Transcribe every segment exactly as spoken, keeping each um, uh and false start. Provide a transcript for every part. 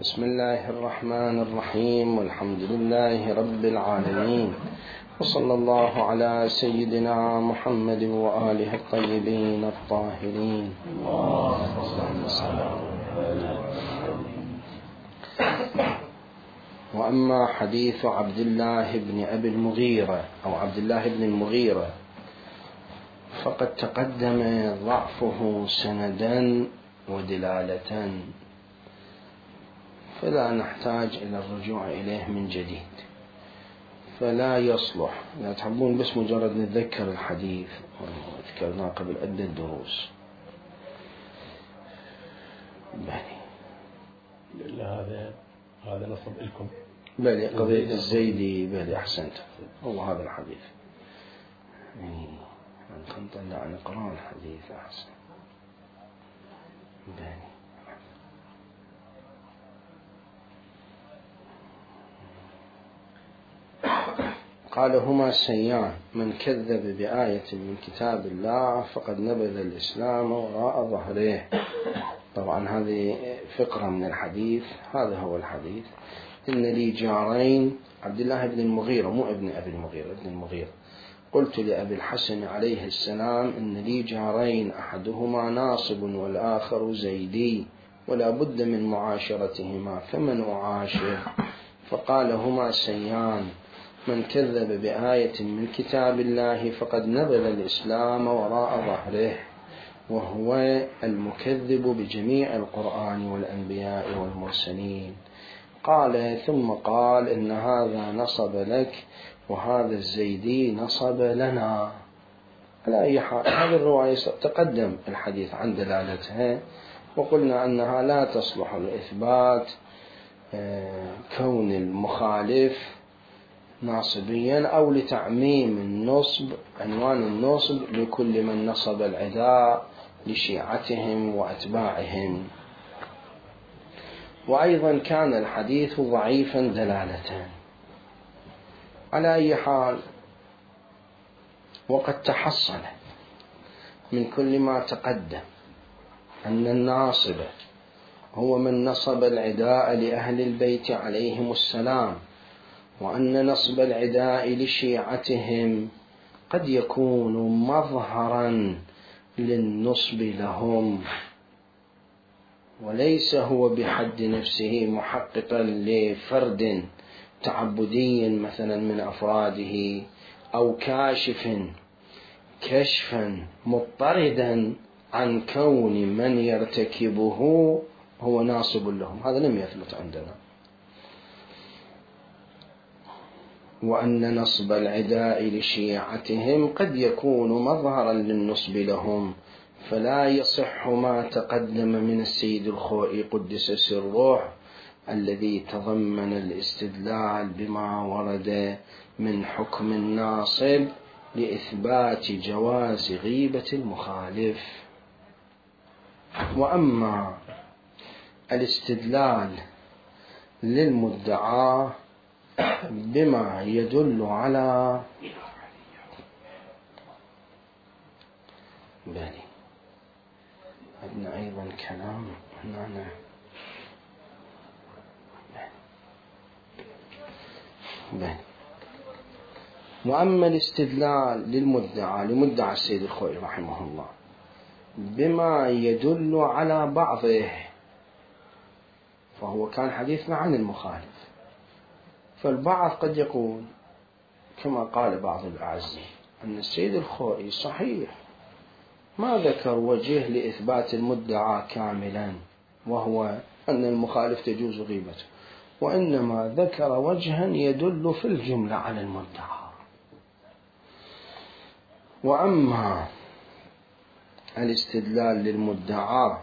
بسم الله الرحمن الرحيم، والحمد لله رب العالمين، وصلى الله على سيدنا محمد وآله الطيبين الطاهرين. وأما حديث عبد الله بن أبي المغيرة أو عبد الله بن المغيرة فقد تقدم ضعفه سندا ودلالة، فلا نحتاج إلى الرجوع إليه من جديد، فلا يصلح. لا تحبون بس مجرد نتذكر الحديث وذكرناه قبل عدة دروس. بلي هذا هذا نصب لكم بلي قضية الزيدي. بلي أحسنت، هو هذا الحديث. نطلع نقرأ الحديث أحسن. بلي قال: هما سيان، من كذب بآية من كتاب الله فقد نبذ الإسلام وراء ظهره. طبعا هذه فقرة من الحديث. هذا هو الحديث: إن لي جارين. عبد الله بن المغيرة، مو ابن أبي المغيرة، ابن المغيرة. قلت لأبي الحسن عليه السلام: إن لي جارين، أحدهما ناصب والآخر زيدي، ولا بد من معاشرتهما، فمن أعاشر؟ فقال: هما سيان، من كذب بآية من كتاب الله فقد نبذ الإسلام وراء ظهره، وهو المكذب بجميع القرآن والأنبياء والمرسلين. قال: ثم قال: إن هذا نصب لك وهذا الزيدي نصب لنا. على أي حال، هذه الرواية تقدم الحديث عن دلالتها، وقلنا أنها لا تصلح لإثبات كون المخالف ناصبيا أو لتعميم النصب، عنوان النصب لكل من نصب العداء لشيعتهم وأتباعهم. وأيضا كان الحديث ضعيفا دلالة. على أي حال، وقد تحصل من كل ما تقدم أن الناصب هو من نصب العداء لأهل البيت عليهم السلام، وأن نصب العداء لشيعتهم قد يكون مظهرا للنصب لهم، وليس هو بحد نفسه محققا لفرد تعبدي مثلا من أفراده، أو كاشف كشفا مضطردا عن كون من يرتكبه هو ناصب لهم. هذا لم يثبت عندنا. وأن نصب العداء لشيعتهم قد يكون مظهرا للنصب لهم، فلا يصح ما تقدم من السيد الخوئي قدس سره الذي تضمن الاستدلال بما ورد من حكم الناصب لإثبات جواز غيبة المخالف. وأما الاستدلال للمدعى بما يدل على بالي عندنا أيضا كلام هنا. بالي. وأما الاستدلال للمدعى لمدعى السيد الخوئي رحمه الله بما يدل على بعضه، فهو كان حديثنا عن المخالف، فالبعض قد يقول كما قال بعض الأعزة أن السيد الخوئي صحيح ما ذكر وجه لإثبات المدعى كاملا، وهو أن المخالف تجوز غيبته، وإنما ذكر وجها يدل في الجملة على المدعى. وأما الاستدلال للمدعى،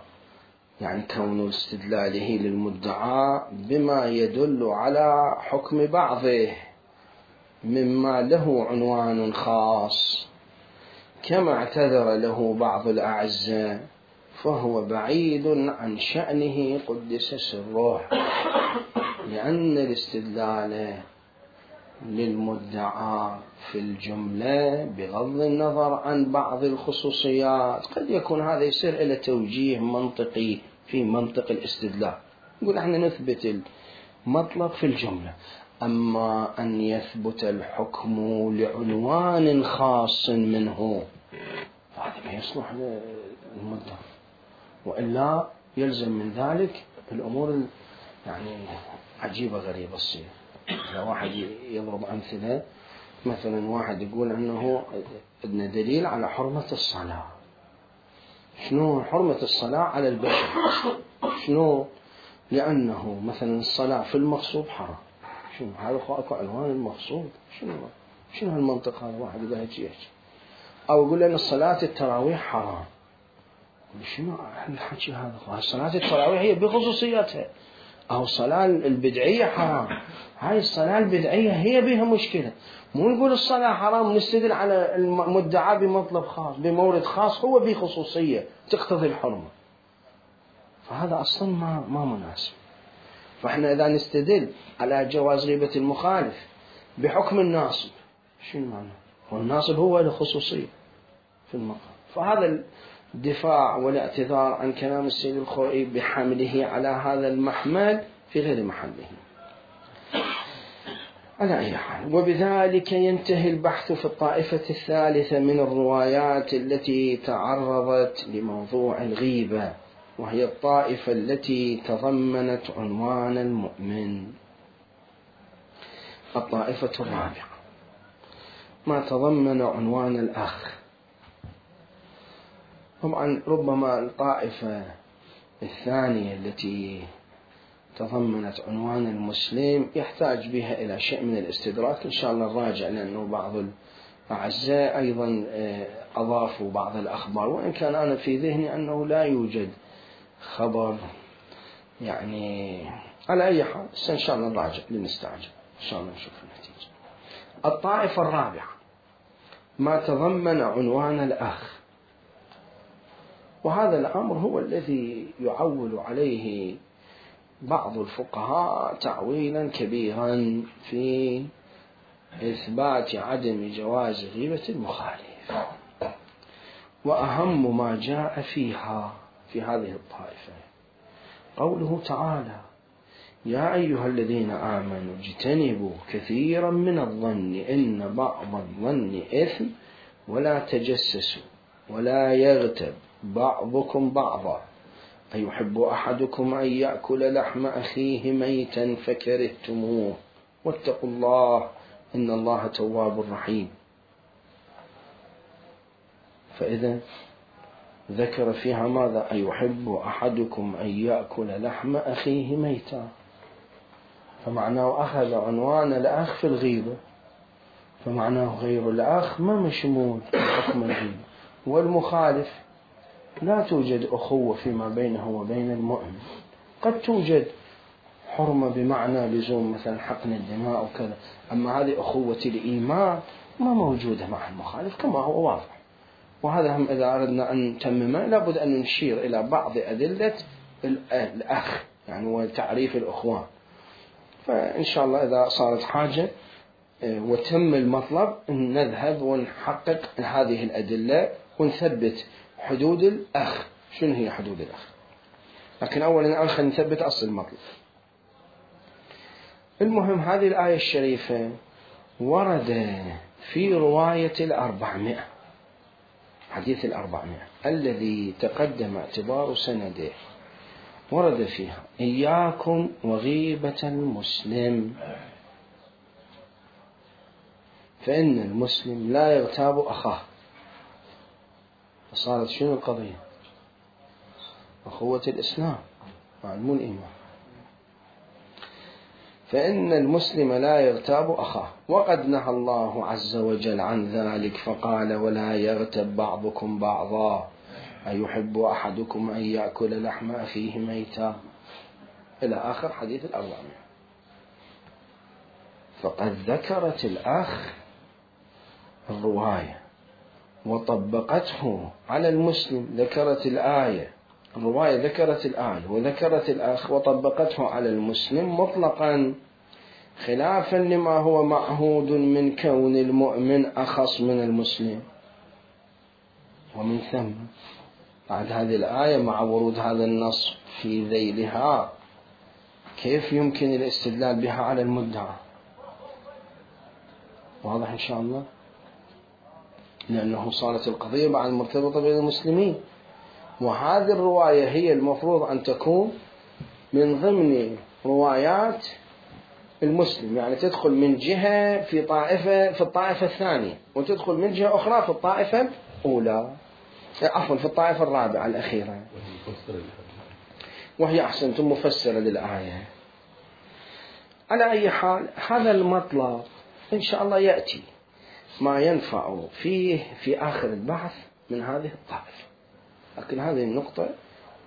يعني كون استدلاله للمدعى بما يدل على حكم بعضه مما له عنوان خاص، كما اعتذر له بعض الأعزة، فهو بعيد عن شأنه قدس سره، لأن الاستدلال للمدعى في الجملة بغض النظر عن بعض الخصوصيات قد يكون هذا يصير إلى توجيه منطقي في منطق الاستدلال، نقول احنا نثبت المطلق في الجملة، أما أن يثبت الحكم لعنوان خاص منه فهذا ما يصلح للمطلق، وإلا يلزم من ذلك الأمور يعني عجيبة غريبة تصير. إذا واحد يضرب أمثلة، مثلا واحد يقول أنه أن دليل على حرمة الصلاة. شنو حرمة الصلاة على البشر؟ شنو؟ لأنه مثلا الصلاة في المقصود حرام. شنو هذا؟ أكو عنوان المقصود. شنو شنو هالمنطق هذا؟ واحد يقول هيك. أو يقول أن الصلاة التراويح حرام. شنو الحكي هذا؟ الصلاة التراويح هي بخصوصيتها، أو الصلاة البدعية حرام. هاي الصلاة البدعية هي بها مشكلة. مو نقول الصلاة حرام نستدل على المدعى بمطلب خاص بمورد خاص هو بخصوصية تقتضي الحرمة، فهذا أصلا ما ما مناسب. فإحنا إذا نستدل على جواز غيبة المخالف بحكم الناصب، شنو معنى؟ والناصب هو الخصوصية في المقام. فهذا الدفاع والاعتذار عن كلام السيد الخوئي بحمله على هذا المحمل في غير محله. على أي حال، وبذلك ينتهي البحث في الطائفة الثالثة من الروايات التي تعرضت لموضوع الغيبة، وهي الطائفة التي تضمنت عنوان المؤمن. الطائفة الرابعة ما تضمن عنوان الأخ. طبعا ربما الطائفة الثانية التي تضمنت عنوان المسلم يحتاج بها إلى شيء من الاستدراك، إن شاء الله نراجع، لأنه بعض الأعزاء أيضا أضافوا بعض الأخبار، وإن كان أنا في ذهني أنه لا يوجد خبر يعني. على أي حال إن شاء الله نراجع لنستعجل، إن شاء الله نشوف النتيجة. الطائفة الرابعة ما تضمن عنوان الأخ، وهذا الأمر هو الذي يعول عليه بعض الفقهاء تعويلا كبيرا في إثبات عدم جواز غيبة المخالف. وأهم ما جاء فيها في هذه الطائفة قوله تعالى: يا أيها الذين آمنوا اجتنبوا كثيرا من الظن إن بعض الظن إثم ولا تجسسوا ولا يغتب بعضكم بعضا أيحب أحدكم أن يأكل لحم أخيه ميتا فكرهتموه واتقوا الله إن الله تواب رحيم. فإذا ذكر فيها ماذا؟ أيحب أحدكم أن يأكل لحم أخيه ميتا، فمعناه أخذ عنوان الأخ في الغيبة، فمعناه غير الأخ ما مشمول بحكم الغيبة. والمخالف لا توجد أخوة فيما بينه وبين المؤمن، قد توجد حرمة بمعنى لزوم مثلا حقن الدماء وكذا، أما هذه أخوة الإيمان ما موجودة مع المخالف كما هو واضح. وهذا هم إذا أردنا أن نتممه لابد أن نشير إلى بعض أدلة الأخ يعني وتعريف الأخوان. فإن شاء الله إذا صارت حاجة وتم المطلب نذهب ونحقق هذه الأدلة ونثبت حدود الأخ. شنو هي حدود الأخ؟ لكن أولا الآن خلينا نثبت أصل المطلب. المهم هذه الآية الشريفة ورد في رواية الأربعمائة، حديث الأربعمائة الذي تقدم اعتبار سنده، ورد فيها: إياكم وغيبة المسلم فإن المسلم لا يغتاب أخاه. فصارت شنو القضية؟ أخوة الإسلام مع الإيمان. فإن المسلم لا يغتاب أخاه، وقد نهى الله عز وجل عن ذلك فقال: ولا يغتب بعضكم بعضا أيحب أحدكم أن يأكل لحم أخيه ميتا، إلى آخر حديث الأربعمائة. فقد ذكرت الأخ الرواية وطبقته على المسلم، ذكرت الآية الرواية ذكرت الآية وذكرت الأخ وطبقته على المسلم مطلقا، خلافا لما هو معهود من كون المؤمن أخص من المسلم. ومن ثم بعد هذه الآية مع ورود هذا النص في ذيلها كيف يمكن الاستدلال بها على المدعى؟ واضح إن شاء الله؟ لأنه صارت القضية بعد مرتبطة بين المسلمين، وهذه الرواية هي المفروض أن تكون من ضمن روايات المسلم، يعني تدخل من جهة في طائفة في الطائفة الثانية، وتدخل من جهة أخرى في الطائفة الأولى، عفوا في الطائفة الرابعة الأخيرة، وهي أحسنتم مفسرة للآية. على أي حال هذا المطلب إن شاء الله يأتي ما ينفع فيه في آخر البحث من هذه الطائفة، لكن هذه النقطة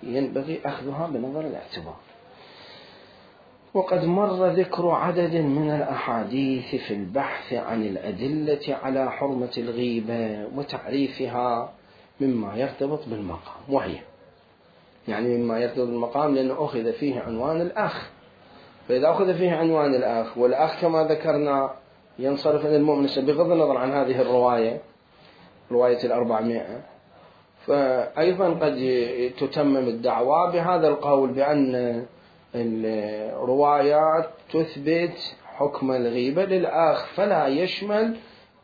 ينبغي أخذها بنظر الاعتبار. وقد مر ذكر عدد من الأحاديث في البحث عن الأدلة على حرمة الغيبة وتعريفها مما يرتبط بالمقام، وهي يعني مما يرتبط بالمقام لأنه أخذ فيه عنوان الأخ، فإذا أخذ فيه عنوان الأخ، والأخ كما ذكرنا ينصرف إلى المؤمن بغض النظر عن هذه الرواية رواية الأربعمائة، فأيضا قد تتمم الدعوة بهذا القول بأن الروايات تثبت حكم الغيبة للآخ، فلا يشمل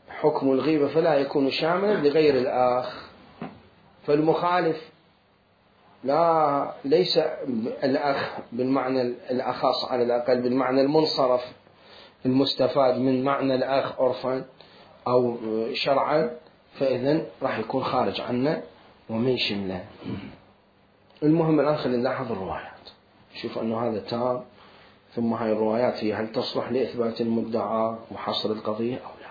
حكم الغيبة، فلا يكون شاملا لغير الآخ. فالمخالف لا ليس الأخ بالمعنى الأخص على الأقل، بالمعنى المنصرف المستفاد من معنى الأخ عرفا أو شرعا، فإذن راح يكون خارج عنه ومن شمله. المهم الآن خلينا نلاحظ الروايات، شوف أنه هذا تام، ثم هاي الروايات هي هل تصلح لإثبات المدعى وحصر القضية أو لا.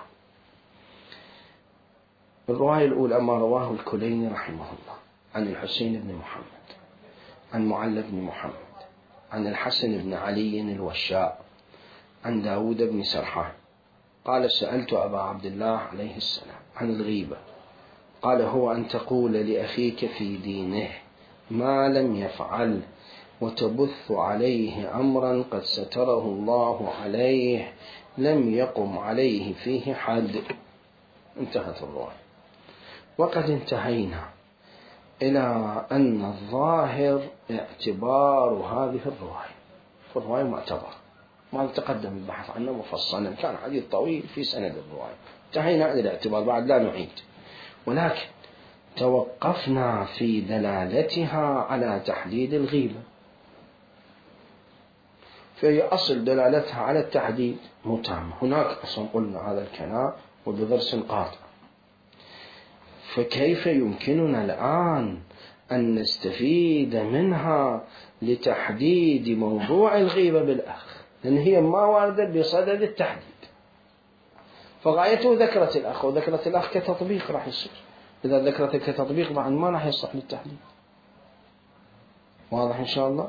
الرواية الأولى ما رواه الكليني رحمه الله عن الحسين بن محمد عن معل بن محمد عن الحسن بن علي الوشاء عن داود بن سرحان قال سألت أبا عبد الله عليه السلام عن الغيبة، قال هو أن تقول لأخيك في دينه ما لم يفعل وتبث عليه أمرا قد ستره الله عليه لم يقم عليه فيه حد. انتهت الرواية. وقد انتهينا إلى أن الظاهر اعتبار هذه الرواية، فالرواية معتبر، ما تقدم البحث عنه مفصلا، كان حديث طويل في سند الرواية، انتهينا إلى الاعتبار بعد لا نعيد، ولكن توقفنا في دلالتها على تحديد الغيبة، فهي أصل دلالتها على التحديد متام. هناك أصلا قلنا هذا الكلام وبضرس قاطع، فكيف يمكننا الآن أن نستفيد منها لتحديد موضوع الغيبة بالأخ، لأن هي ما واردة بصدد التحديد، فغايته ذكرت الأخ، وذكرت الأخ كتطبيق راح يصير، إذا ذكرت كتطبيق بعد ما راح يصح للتحديد. واضح إن شاء الله.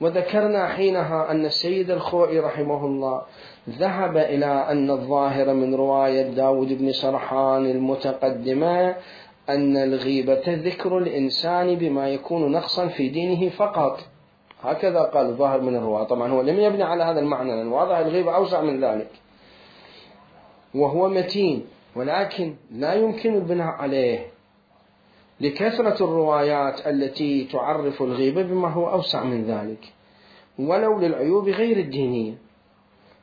وذكرنا حينها أن السيد الخوئي رحمه الله ذهب إلى أن الظاهر من رواية داود بن سرحان المتقدمة أن الغيبة ذكر الإنسان بما يكون نقصا في دينه فقط، هكذا قال الظاهر من الرواية. طبعا هو لم يبني على هذا المعنى، لأن واضح الغيبة أوسع من ذلك وهو متين، ولكن لا يمكن البناء عليه لكثرة الروايات التي تعرف الغيبة بما هو أوسع من ذلك ولو للعيوب غير الدينية،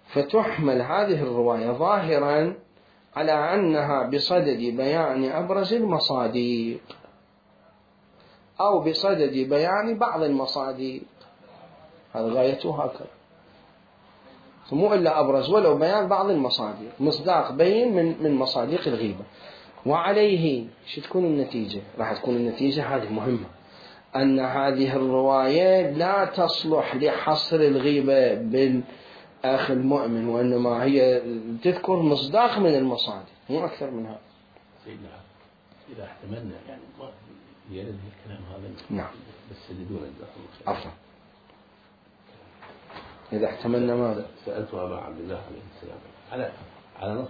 فتحمل هذه الرواية ظاهرا على أنها بصدد بيان أبرز المصادق أو بصدد بيان بعض المصادق، هذا غايته هكذا، مو إلا أبرز ولو بيان بعض المصادق، مصداق بين من من مصادق الغيبة. وعليه شو تكون النتيجة؟ راح تكون النتيجة هذه مهمة، أن هذه الرواية لا تصلح لحصر الغيبة بالأخ المؤمن، وإنما هي تذكر مصداق من المصادق مو أكثر منها. سيدنا إذا احتملنا يعني ما يرد الكلام هذا نعم بس بدون الدخول. عفوا إذا احتملنا ماذا؟ سألت أبا عبد الله عليه السلام على على نص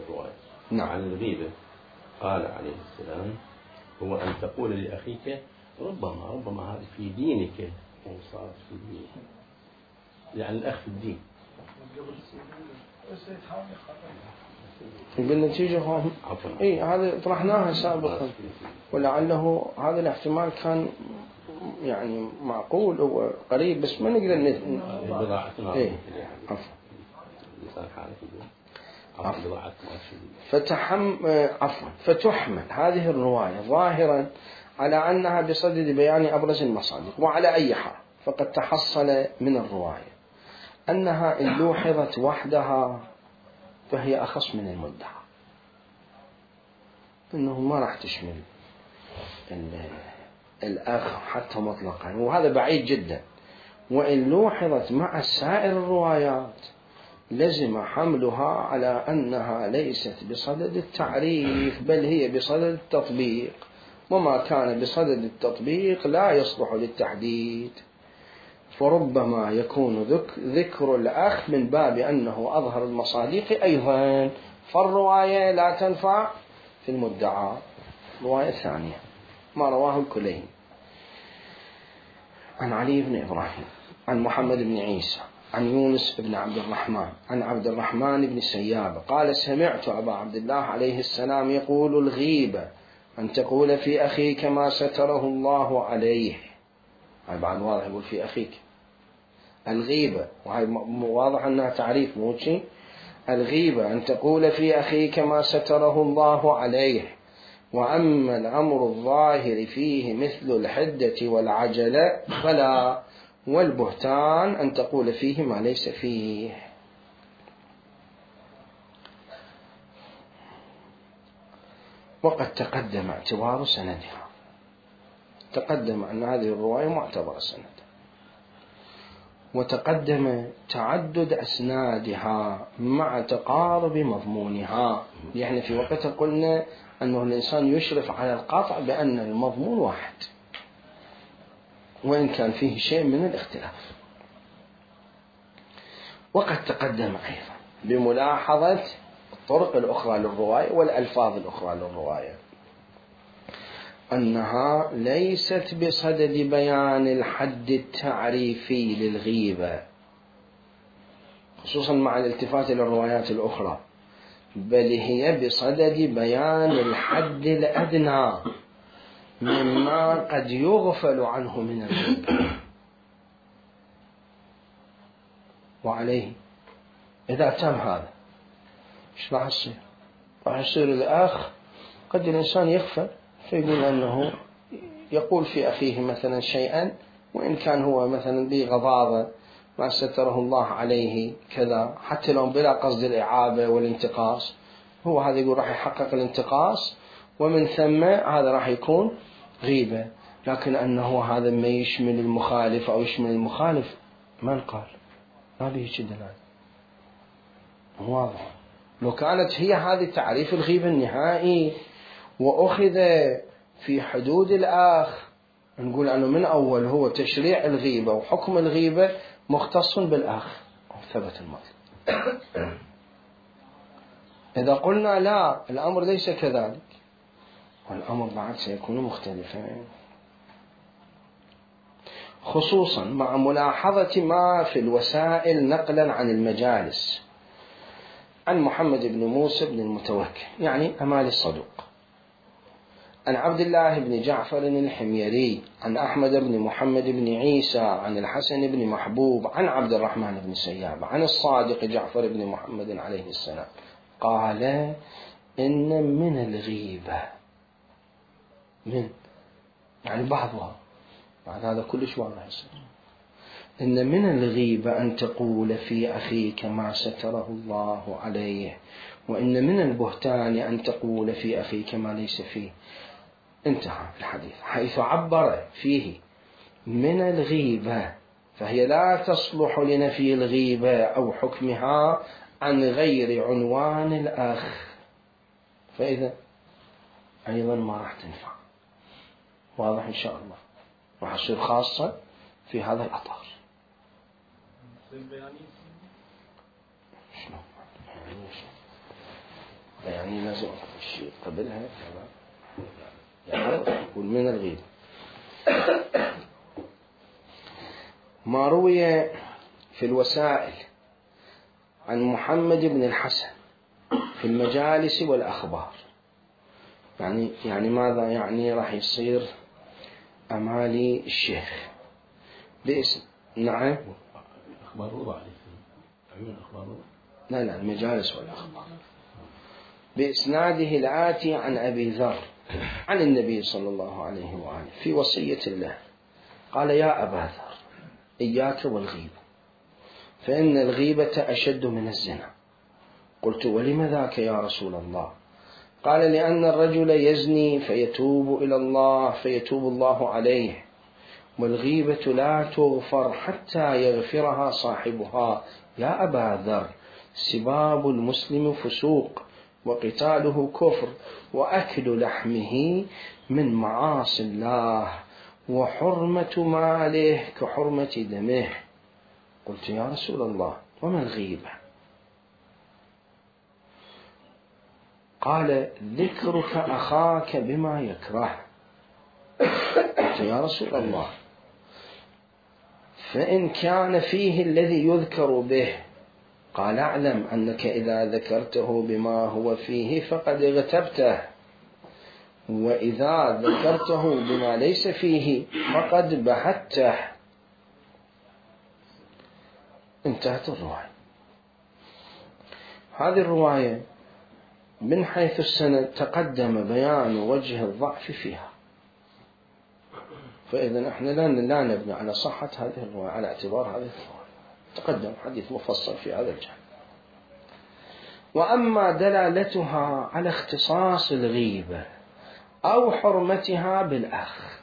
الرواية نعم. عن الغيبة، قال عليه السلام هو أن تقول لأخيك ربما ربما هذا في دينك وصارت في دينه، يعني الأخ في الدين. بالنتيجة هم اي هذا طرحناها سابقا، ولعله هذا الاحتمال كان يعني معقول وقريب، بس ما نقدر ن... اي عفوا عفوا فتحم عفوا فتحمل هذه الرواية ظاهرا على أنها بصدد بيان أبرز المصادق. وعلى أي حال فقد تحصل من الرواية أنها إن لوحظت وحدها فهي أخص من المدعى، إنه ما راح تشمل الأخ حتى مطلقا، وهذا بعيد جدا. وإن لوحظت مع سائر الروايات لزم حملها على أنها ليست بصدد التعريف بل هي بصدد التطبيق، وما كان بصدد التطبيق لا يصلح للتحديد، فربما يكون ذكر الأخ من باب أنه أظهر المصادق أيضا، فالرواية لا تنفع في المدعى. رواية ثانية ما رواه الكليني عن علي بن إبراهيم عن محمد بن عيسى عن يونس بن عبد الرحمن عن عبد الرحمن بن سياب قال سمعت أبا عبد الله عليه السلام يقول الغيبة أن تقول في أخيك ما ستره الله عليه. هاي بعد واضح يقول في أخيك الغيبة، وهي واضح أنها تعريف مو شيء. الغيبة أن تقول في أخيك ما ستره الله عليه، وأما الأمر الظاهر فيه مثل الحدة والعجلة فلا، والبهتان أن تقول فيه ما ليس فيه. وقد تقدم اعتبار سندها، تقدم أن هذه الرواية معتبرة سند، وتقدم تعدد أسنادها مع تقارب مضمونها. يعني في وقتها قلنا أنه الإنسان يشرف على القطع بأن المضمون واحد وإن كان فيه شيء من الاختلاف. وقد تقدم أيضا بملاحظة الطرق الأخرى للرواية والألفاظ الأخرى للرواية أنها ليست بصدد بيان الحد التعريفي للغيبة خصوصا مع الالتفات إلى الروايات الأخرى، بل هي بصدد بيان الحد الأدنى مما قد يغفل عنه من الغيبة. وعليه إذا تم هذا إيش راح يصير؟ راح يصير الأخ قد الإنسان يغفل فيقول أنه يقول في أخيه مثلا شيئا وإن كان هو مثلا بغضاضة ما ستره الله عليه كذا، حتى لو بلا قصد الإعابة والانتقاص، هو هذا يقول راح يحقق الانتقاص ومن ثم هذا راح يكون غيبة. لكن أنه هذا ما يشمل المخالف أو يشمل المخالف من قال؟ ما به دلالة واضح. لو كانت هي هذه تعريف الغيبة النهائي وأخذ في حدود الآخ نقول أنه من أول هو تشريع الغيبة وحكم الغيبة مختص بالآخ ثبت المطلب. إذا قلنا لا الأمر ليس كذلك والأمر بعد سيكون مختلفا، خصوصا مع ملاحظة ما في الوسائل نقلا عن المجالس عن محمد بن موسى بن المتوكل يعني أمال الصدوق، عن عبد الله بن جعفر الحميري عن أحمد بن محمد بن عيسى عن الحسن بن محبوب عن عبد الرحمن بن سياب عن الصادق جعفر بن محمد عليه السلام قال إن من الغيبة من يعني بعضها بعد هذا كلش واضح يصير إن من الغيبة أن تقول في أخيك ما ستره الله عليه، وإن من البهتان أن تقول في أخيك ما ليس فيه. انتهى الحديث حيث عبر فيه من الغيبة، فهي لا تصلح لنفي الغيبة أو حكمها عن غير عنوان الأخ، فإذا أيضا ما راح تنفع. واضح إن شاء الله، راح تصير خاصة في هذا الأطار. شنو يعني لازم الشيء قبلها كذا يعني يقول من الغيبة. ما روي في الوسائل عن محمد بن الحسن في المجالس والأخبار. يعني يعني ماذا يعني؟ راح يصير أمالي الشيخ باسم. نعم. أخبار وضع عيون أخبار وضع. لا لا المجالس والأخبار. بإسناده الآتي عن أبي ذر عن النبي صلى الله عليه وآله في وصية الله قال: يا أبا ذر إياك والغيبة فإن الغيبة أشد من الزنا. قلت: ولم ذاك يا رسول الله؟ قال: لأن الرجل يزني فيتوب إلى الله فيتوب الله عليه، والغيبة لا تغفر حتى يغفرها صاحبها. يا أبا ذر سباب المسلم فسوق وقتاله كفر وأكل لحمه من معاصي الله وحرمة ماله كحرمة دمه. قلت: يا رسول الله وما الغيبة؟ قال: ذكرك أخاك بما يكره. قلت: يا رسول الله فإن كان فيه الذي يذكر به؟ قال: اعلم أنك إذا ذكرته بما هو فيه فقد اغتبته، وإذا ذكرته بما ليس فيه فقد بهته. انتهت الرواية. هذه الرواية من حيث السند تقدم بيان وجه الضعف فيها، فإذا احنا لا نبني على صحة هذه الرواية على اعتبار هذه الرواية، تقدم حديث مفصل في هذا الجانب. وأما دلالتها على اختصاص الغيبة أو حرمتها بالأخ،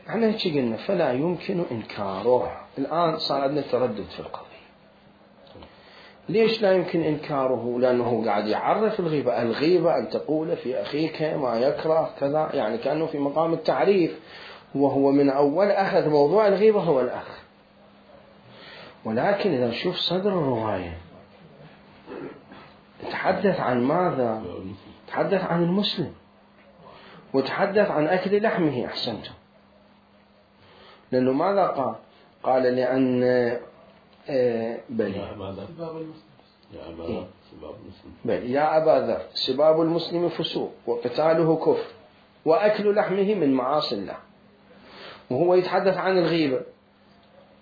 احنا هيك قلنا فلا يمكن إنكاره. الآن صار عندنا تردد في القضية. ليش لا يمكن إنكاره؟ لأنه قاعد يعرف الغيبة. الغيبة أن تقول في أخيك ما يكره كذا، يعني كأنه في مقام التعريف، وهو من أول أخذ موضوع الغيبة هو الأخ. ولكن إذا نشوف صدر الرواية تحدث عن ماذا؟ تحدث عن المسلم، وتحدث عن أكل لحمه. أحسنتم. لأنه ماذا قال؟ قال لأن آه بل بل يا أبا ذر سباب المسلم فسوق وقتاله كفر وأكل لحمه من معاصي الله. وهو يتحدث عن الغيبة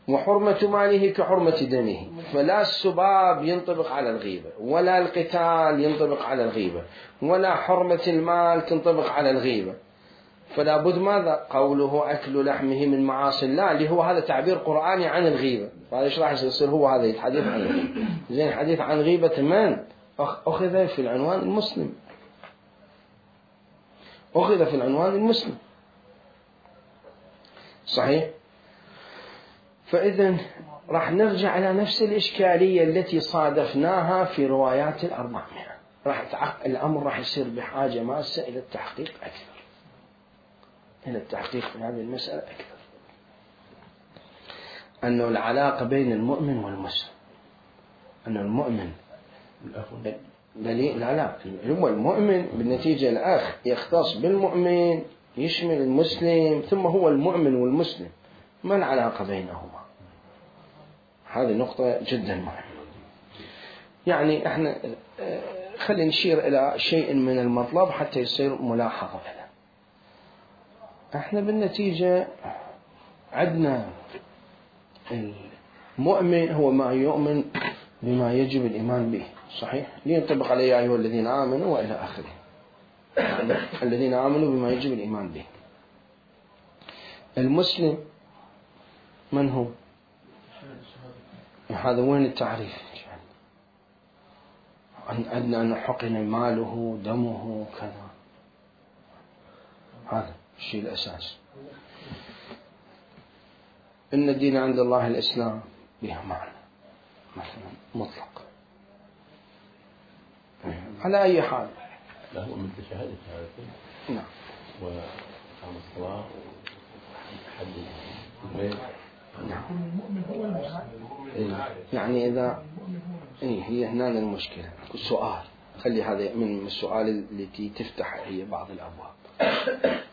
وحرمة ماله كحرمة دمه، فلا السباب ينطبق على الغيبة، ولا القتال ينطبق على الغيبة، ولا حرمة المال تنطبق على الغيبة. فلا بد ماذا؟ قوله أكل لحمه من معاصي الله، اللي هو هذا تعبير قرآني عن الغيبة. فهذا إيش راح يصير؟ هو هذا يتحدث عن الغيبة. زين، الحديث عن غيبة من؟ أخذ في العنوان المسلم، أخذ في العنوان المسلم. صحيح؟ فإذن راح نرجع إلى نفس الإشكالية التي صادفناها في روايات الأربعمائة. راح الأمر راح يصير بحاجة ماسة إلى التحقيق أكثر، إلى التحقيق في هذه المسألة أكثر. أنه العلاقة بين المؤمن والمسلم، أن المؤمن بلي لا لا هو المؤمن بالنتيجة الأخ يختص بالمؤمن يشمل المسلم، ثم هو المؤمن والمسلم. ما العلاقة بينهما؟ هذه نقطة جدا مهمة. يعني احنا خلينا نشير إلى شيء من المطلب حتى يصير ملاحظة لنا. احنا بالنتيجة عندنا المؤمن هو ما يؤمن بما يجب الإيمان به، صحيح؟ لينطبق عليه يا أيها الذين آمنوا وإلى آخره. الذين آمنوا بما يجب الإيمان به. المسلم من هو؟ هذا وين التعريف؟ عندنا أن حقن ماله دمه كذا، هذا الشيء الأساس. إن الدين عند الله الإسلام بها معنى مثلا مطلق على أي حال. لا هو من شهادة هذا. نعم. وقام الصلاة وحد البيت. نعم. يعني إذا إيه هي هنا المشكلة. سؤال، خلي هذا من السؤال التي تفتح هي بعض الأبواب.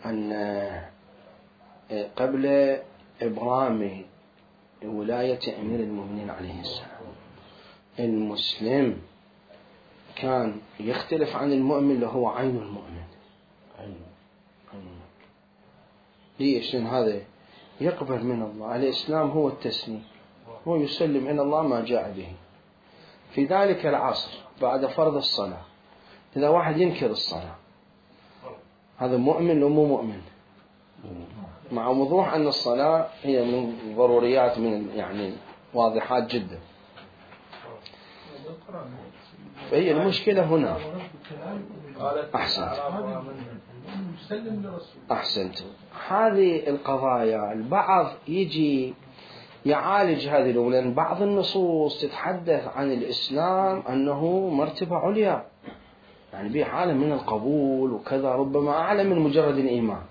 أن قبل إبرام ولاية أمير المؤمنين عليه السلام، المسلم كان يختلف عن المؤمن اللي هو عين المؤمن. عين. ليش؟ لأن هذا يقبل من الله. الإسلام هو التسليم، هو يسلم إلى الله ما جاء به. في ذلك العصر بعد فرض الصلاة إذا واحد ينكر الصلاة هذا مؤمن لو مو مؤمن؟ مع وضوح أن الصلاة هي من ضروريات، من يعني واضحات جدا. فهي المشكلة هنا. أحسنت أحسنت هذه القضايا البعض يجي يعالج هذه الأمور، لأن بعض النصوص تتحدث عن الإسلام أنه مرتبة عليا، يعني به حالة من القبول وكذا، ربما أعلى من مجرد الإيمان.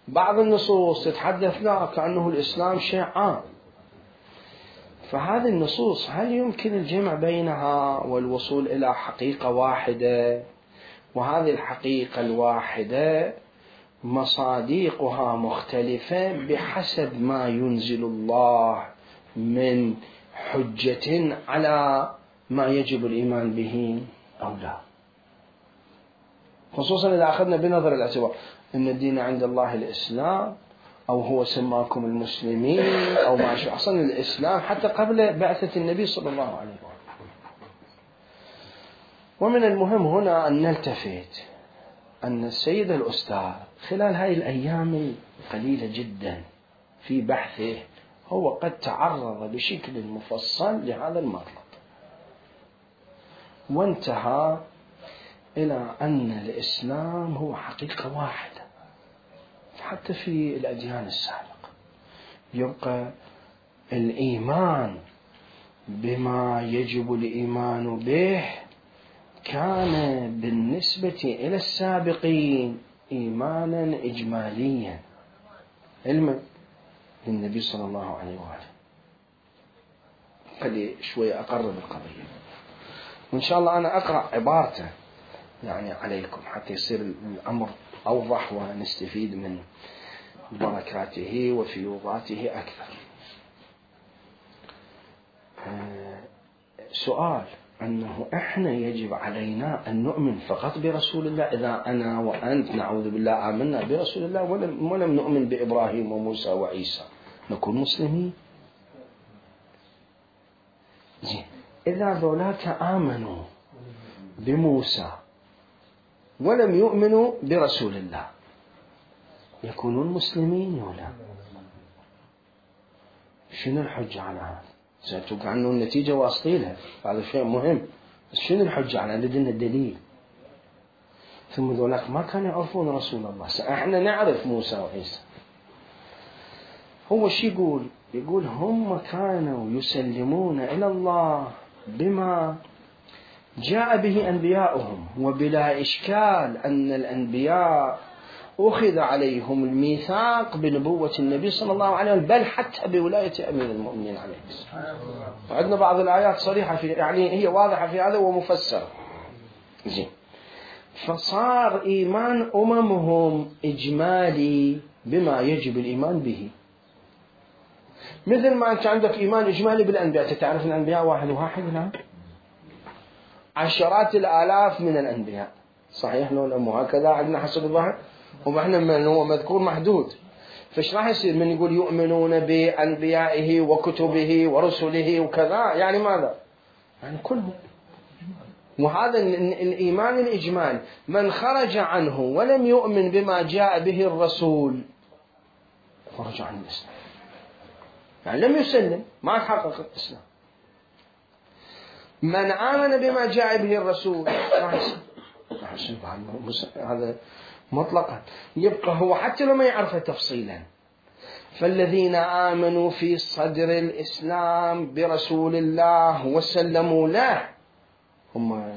بعض النصوص تتحدث لا كأنه الإسلام شيء عام. فهذه النصوص هل يمكن الجمع بينها والوصول إلى حقيقة واحدة؟ وهذه الحقيقة الواحدة مصادقها مختلفة بحسب ما ينزل الله من حجة على ما يجب الإيمان به أو لا، خصوصا إذا أخذنا بنظر الاعتبار أن الدين عند الله الإسلام، أو هو سماكم المسلمين أو ما شاء. أصلا الإسلام حتى قبل بعثة النبي صلى الله عليه وسلم. ومن المهم هنا أن نلتفت أن السيد الأستاذ خلال هذه الأيام القليلة جدا في بحثه هو قد تعرض بشكل مفصل لهذا المطلب، وانتهى إلى أن الإسلام هو حقيقة واحدة. حتى في الأديان السابقة يبقى الإيمان بما يجب الإيمان به كان بالنسبة إلى السابقين إيمانا إجماليا علما للنبي صلى الله عليه وآله. خلي شوية أقرب القضية، وإن شاء الله أنا أقرأ عبارته يعني عليكم حتى يصير الأمر أوضح ونستفيد من بركاته وفيوضاته أكثر. سؤال أنه إحنا يجب علينا أن نؤمن فقط برسول الله؟ إذا أنا وأنت نعوذ بالله آمنا برسول الله ولم, ولم نؤمن بإبراهيم وموسى وعيسى نكون مسلمين؟ زين، إذا ذولاك آمنوا بموسى ولم يؤمنوا برسول الله يكونون مسلمين ولا؟ شنو الحجة على هذا؟ سأتوقع عنه النتيجة واصلينها، هذا شيء مهم، بس شنو الحجة على لدينا الدليل؟ ثم ذولاك ما كانوا يعرفون رسول الله، احنا نعرف موسى وعيسى. هو شي يقول؟ يقول هم كانوا يسلمون إلى الله بما جاء به أنبياؤهم، وبلا إشكال أن الأنبياء أخذ عليهم الميثاق بنبوة النبي صلى الله عليه وسلم، بل حتى بولاية أمير المؤمنين عليه السلام. عندنا بعض الآيات صريحة في، يعني هي واضحة في هذا ومفسرة. زين، فصار إيمان أممهم إجمالي بما يجب الإيمان به، مثل ما أنت عندك إيمان إجمالي بالأنبياء. تتعرف الأنبياء واحد واحد؟ لا، عشرات الآلاف من الأنبياء، صحيح لو مو هكذا عندنا حسب الظاهر، وإحنا من هو مذكور محدود. فإيش راح يصير من يقول يؤمنون بأنبيائه وكتبه ورسله وكذا؟ يعني ماذا؟ يعني كله. وهذا الإيمان الإجمالي من خرج عنه ولم يؤمن بما جاء به الرسول خرج عن الإسلام، يعني لم يسلم، ما حقق الإسلام. من آمن بما جاء به الرسول هذا مطلقا يبقى هو حتى لو ما يعرفه تفصيلا. فالذين آمنوا في صدر الإسلام برسول الله وسلموا له هم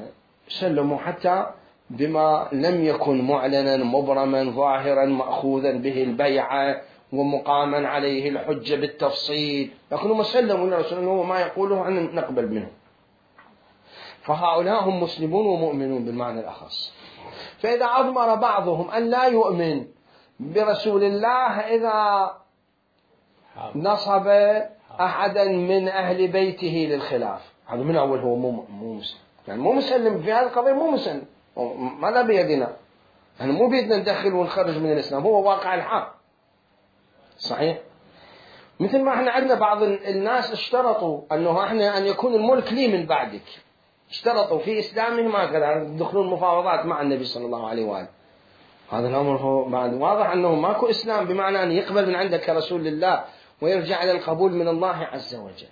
سلموا حتى بما لم يكن معلنا مبرما ظاهرا مأخوذا به البيعة ومقاما عليه الحجة بالتفصيل، لكن هم سلموا للرسول أنه ما يقوله أن نقبل منه. فهؤلاء هم مسلمون ومؤمنون بالمعنى الأخص. فإذا أضمر بعضهم أن لا يؤمن برسول الله إذا نصب أحدا من أهل بيته للخلاف، هذا من أول هو مو مسلم، يعني مو مسلم في هذه القضية، مو مسلم، ماذا بيدنا؟ احنا مو بيدنا ندخل ونخرج من الإسلام، هو واقع الحق. صحيح؟ مثل ما احنا عندنا بعض الناس اشترطوا انه احنا ان يكون الملك لي من بعدك، اشترطوا في اسلامهم هكذا يدخلون مفاوضات مع النبي صلى الله عليه وآله. هذا الامر هو بعد واضح انه ماكو اسلام بمعنى ان يقبل من عندك كرسول الله ويرجع الى القبول من الله عز وجل.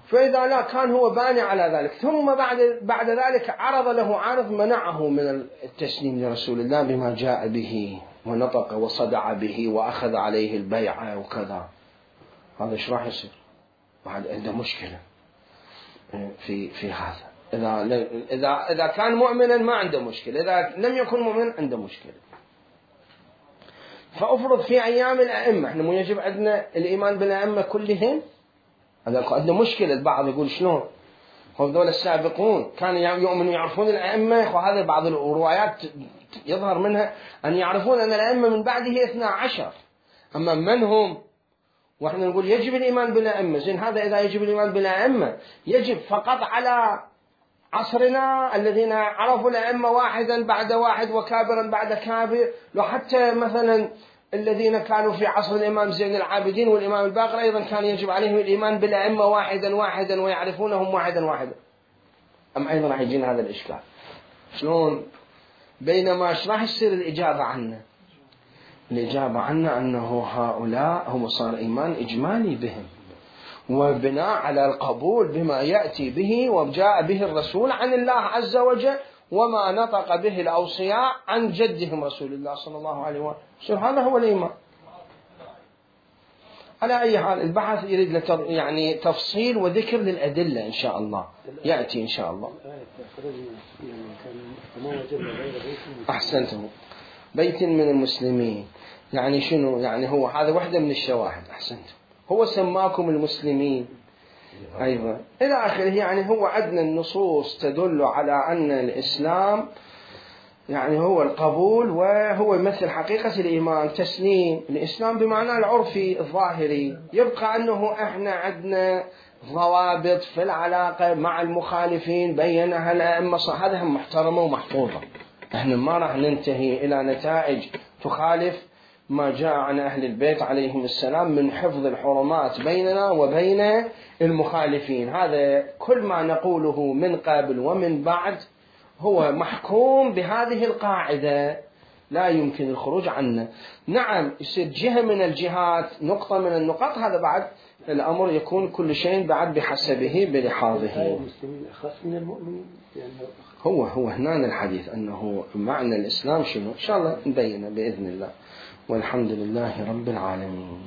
فإذا لا كان هو باني على ذلك، ثم بعد بعد ذلك عرض له عارض منعه من التسليم لرسول الله بما جاء به، ونطق وصدع به وأخذ عليه البيعة وكذا، هذا إيش راح يصير؟ بعد عنده مشكلة في في هذا. إذا إذا إذا كان مؤمنا ما عنده مشكلة، إذا لم يكن مؤمنا عنده مشكلة. فأفرض في أيام الأئمة، إحنا مو يجب عندنا الإيمان بالأئمة كلهم؟ هذا عنده مشكلة. البعض يقول شلون؟ هم دول السابقون كانوا يؤمنوا يعرفون الأئمة، وهذا بعض الروايات يظهر منها أن يعرفون أن الأئمة من بعده اثنا عشر، أما من هم؟ وإحنا نقول يجب الإيمان بالأئمة. زين، هذا إذا يجب الإيمان بالأئمة يجب فقط على عصرنا الذين عرفوا الأئمة واحدا بعد واحد وكابرا بعد كابر، لو حتى مثلا الذين كانوا في عصر الإمام زين العابدين والإمام الباقر أيضا كان يجب عليهم الإيمان بالأئمة واحدا واحدا ويعرفونهم واحدا واحدا، أم أيضا راح يجينا هذا الإشكال؟ شلون؟ بينما ايش راح يصير الإجابة عنا؟ الإجابة عنا أنه هؤلاء هم صار إيمان إجمالي بهم، وبناء على القبول بما يأتي به وجاء به الرسول عن الله عز وجل، وما نطق به الأوصياء عن جدهم رسول الله صلى الله عليه وسلم. هذا هو الإيمان. على أي حال البحث يريد يعني تفصيل وذكر للأدلة إن شاء الله، يأتي إن شاء الله. أحسنتم. بيت من المسلمين يعني شنو؟ يعني هو هذا واحدة من الشواهد. أحسنتم. هو سماكم المسلمين أيضا إلى آخره. يعني هو عندنا النصوص تدل على أن الإسلام يعني هو القبول، وهو يمثل حقيقة الإيمان، تسليم. الإسلام بمعنى العرفي الظاهري. يبقى أنه إحنا عندنا ضوابط في العلاقة مع المخالفين بينها الأئمة، هذا هم محترمة ومحفوظة. إحنا ما راح ننتهي إلى نتائج تخالف ما جاء عن أهل البيت عليهم السلام من حفظ الحرمات بيننا وبين المخالفين. هذا كل ما نقوله من قبل ومن بعد هو محكوم بهذه القاعدة، لا يمكن الخروج عنه. نعم يصير جهة من الجهات، نقطة من النقاط، هذا بعد الأمر يكون كل شيء بعد بحسبه بلحاظه. المسلمين أخص من المؤمنين هو هو هنا الحديث أنه معنى الإسلام شنو، إن شاء الله نبينه بإذن الله. والحمد لله رب العالمين.